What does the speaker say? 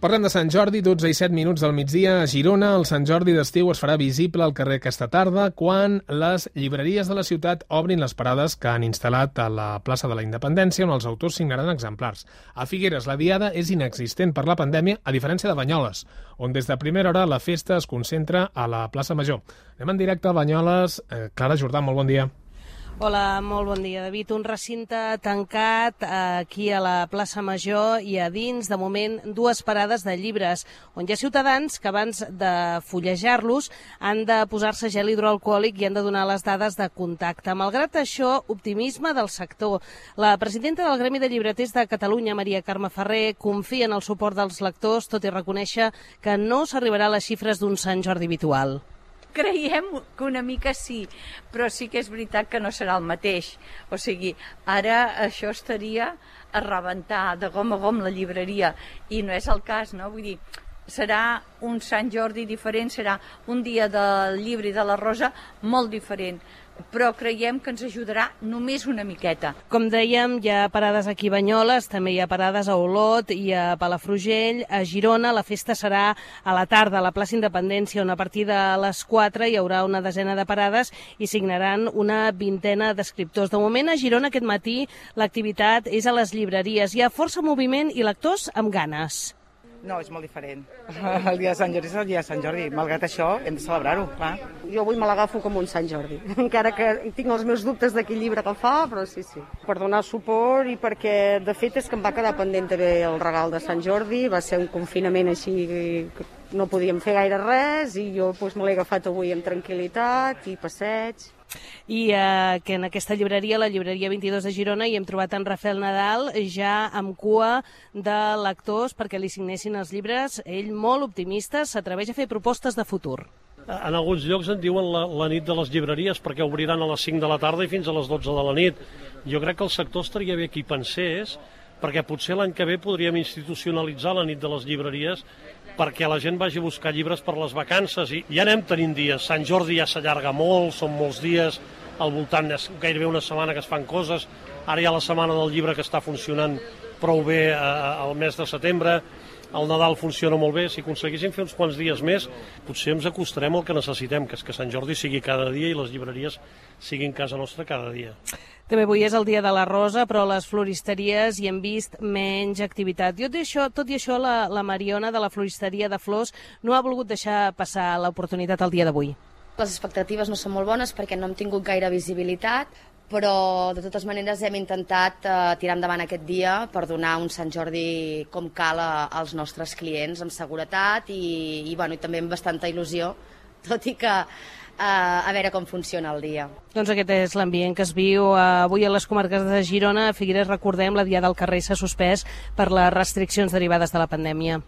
Parlem de Sant Jordi, 12 i 7 minuts del migdia. A Girona, el Sant Jordi d'estiu es farà visible al carrer aquesta tarda quan les llibreries de la ciutat obrin les parades que han instal·lat a la plaça de la Independència, on els autors signaran exemplars. A Figueres, la diada és inexistent per la pandèmia, a diferència de Banyoles, on des de primera hora la festa es concentra a la plaça Major. Anem en directe a Banyoles. Clara Jordà, molt bon dia. Hola, molt bon dia, David. Un recinte tancat aquí a la plaça Major i a dins, de moment, dues parades de llibres, on hi ha ciutadans que abans de fullejar-los han de posar-se gel hidroalcohòlic i han de donar les dades de contacte. Malgrat això, optimisme del sector. La presidenta del Gremi de Llibreters de Catalunya, Maria Carme Ferrer, confia en el suport dels lectors, tot i reconèixer que no s'arribarà a les xifres d'un Sant Jordi habitual. Creiem que una mica sí, però sí que és veritat que no serà el mateix. O sigui, ara això estaria a rebentar de gom a gom la llibreria, i no és el cas, no? Vull dir, serà un Sant Jordi diferent, serà un dia del llibre i de la rosa molt diferent, però creiem que ens ajudarà només una miqueta. Com dèiem, hi ha parades aquí a Banyoles, també hi ha parades a Olot i a Palafrugell. A Girona la festa serà a la tarda a la plaça Independència, on a partir de les 4 hi haurà una desena de parades i signaran una vintena d'escriptors. De moment, a Girona aquest matí l'activitat és a les llibreries. Hi ha força moviment i lectors amb ganes. No, és molt diferent. El dia de Sant Jordi és el dia de Sant Jordi. Malgrat això, hem de celebrar-ho, clar. Jo avui me l'agafo com un Sant Jordi, encara que tinc els meus dubtes de quin llibre que el fa, però sí. Per donar suport i perquè, de fet, és que em va quedar pendent també el regal de Sant Jordi. Va ser un confinament així que no podíem fer gaire res i jo me l'he agafat avui amb tranquil·litat i passeig. I que en aquesta llibreria, la llibreria 22 de Girona, hi hem trobat en Rafael Nadal ja amb cua de lectors perquè li signessin els llibres. Ell, molt optimista, s'atreveix a fer propostes de futur. En alguns llocs en diuen la nit de les llibreries perquè obriran a les 5 de la tarda i fins a les 12 de la nit. Jo crec que el sector estaria bé que hi pensés, perquè potser l'any que ve podríem institucionalitzar la nit de les llibreries perquè la gent vagi a buscar llibres per les vacances, i ja anem tenint dies. Sant Jordi ja s'allarga molt, són molts dies, al voltant és gairebé una setmana que es fan coses, ara hi ha la setmana del llibre que està funcionant prou bé al mes de setembre, el Nadal funciona molt bé. Si aconseguéssim fer uns quants dies més, potser ens acostarem al que necessitem, que és que Sant Jordi sigui cada dia i les llibreries siguin casa nostra cada dia. També avui és el dia de la rosa, però a les floristeries hi hem vist menys activitat. Tot i això, la Mariona de la floristeria de flors no ha volgut deixar passar l'oportunitat el dia d'avui. Les expectatives no són molt bones perquè no hem tingut gaire visibilitat, però de totes maneres hem intentat tirar endavant aquest dia per donar un Sant Jordi com cal als nostres clients, amb seguretat i també amb bastanta il·lusió, tot i que a veure com funciona el dia. Doncs aquest és l'ambient que es viu avui a les comarques de Girona. A Figueres, recordem, la diada al carrer s'ha suspès per les restriccions derivades de la pandèmia.